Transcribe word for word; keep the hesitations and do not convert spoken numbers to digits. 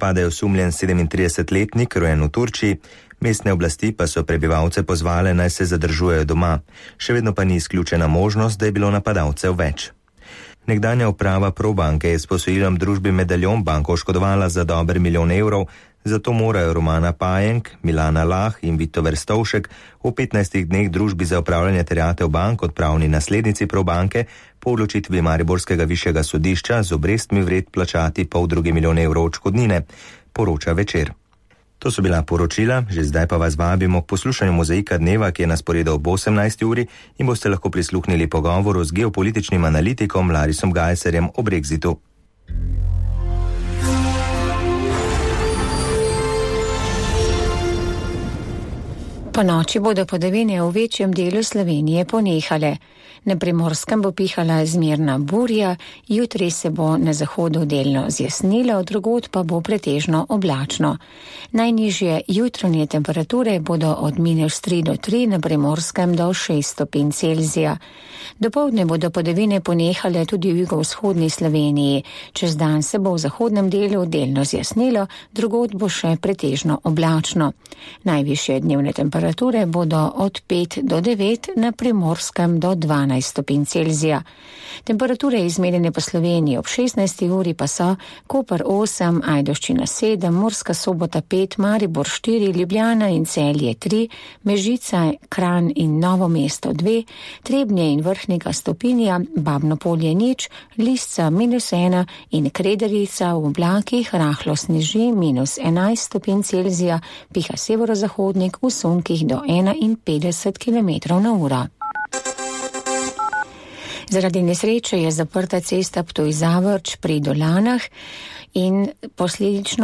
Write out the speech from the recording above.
Pade osumljen sedemintridesetletnik, rojen v Turčiji, mestne oblasti pa so prebivalce pozvale, naj se zadržujejo doma. Še vedno pa ni izključena možnost, da je bilo napadalcev več. Nekdanja uprava Probanke je s posojilom družbi Medaljon banko oškodovala za dober milijon evrov, zato morajo Romana Pajenk, Milana Lah in Vito Verstovšek v petnajstih dneh družbi za upravljanje terjatev bank kot pravni naslednici Probanke po odločitvi mariborskega višjega sodišča z obrestmi vred plačati pol drugi milijon evrov odškodnine, poroča Večer. To so bila poročila, že zdaj pa vas vabimo k poslušanju Mozaika dneva, ki je na sporedu ob osemnajsti uri in boste lahko prisluhnili pogovoru z geopolitičnim analitikom Larisom Gajserjem o Brexitu. Po noči bodo padavine v večjem delu Slovenije ponehale. Na Primorskem bo pihala zmerna burja, jutri se bo na zahodu delno zjasnilo, drugod pa bo pretežno oblačno. Najnižje jutranje temperature bodo od minus tri do tri, na Primorskem do šest stopinj Celzija. Dopoldne bodo padavine ponehale tudi v jugovzhodni Sloveniji. Čez dan se bo v zahodnem delu delno zjasnilo, drugod bo še pretežno oblačno. Najvišje dnevne temperature bodo od pet do devet, na Primorskem do dvanajst stopinj Celzija. Temperature izmerjene po Sloveniji ob šestnajsti uri pa so Koper osem, Ajdovščina sedem, Murska Sobota pet, Maribor štiri, Ljubljana in Celje tri, Mežica, Kranj in Novo mesto dve, Trebnje in Vrhnika stopinja, Babno Polje nič, Lisca minus ena in Krederica v oblakih rahlo sneži minus enajst stopinj Celzija, piha severozahodnik v sunkih do enainpetdeset kilometrov na uro. Zaradi nesreče je zaprta cesta Ptuj-Zavrč pri Dolanah in posledično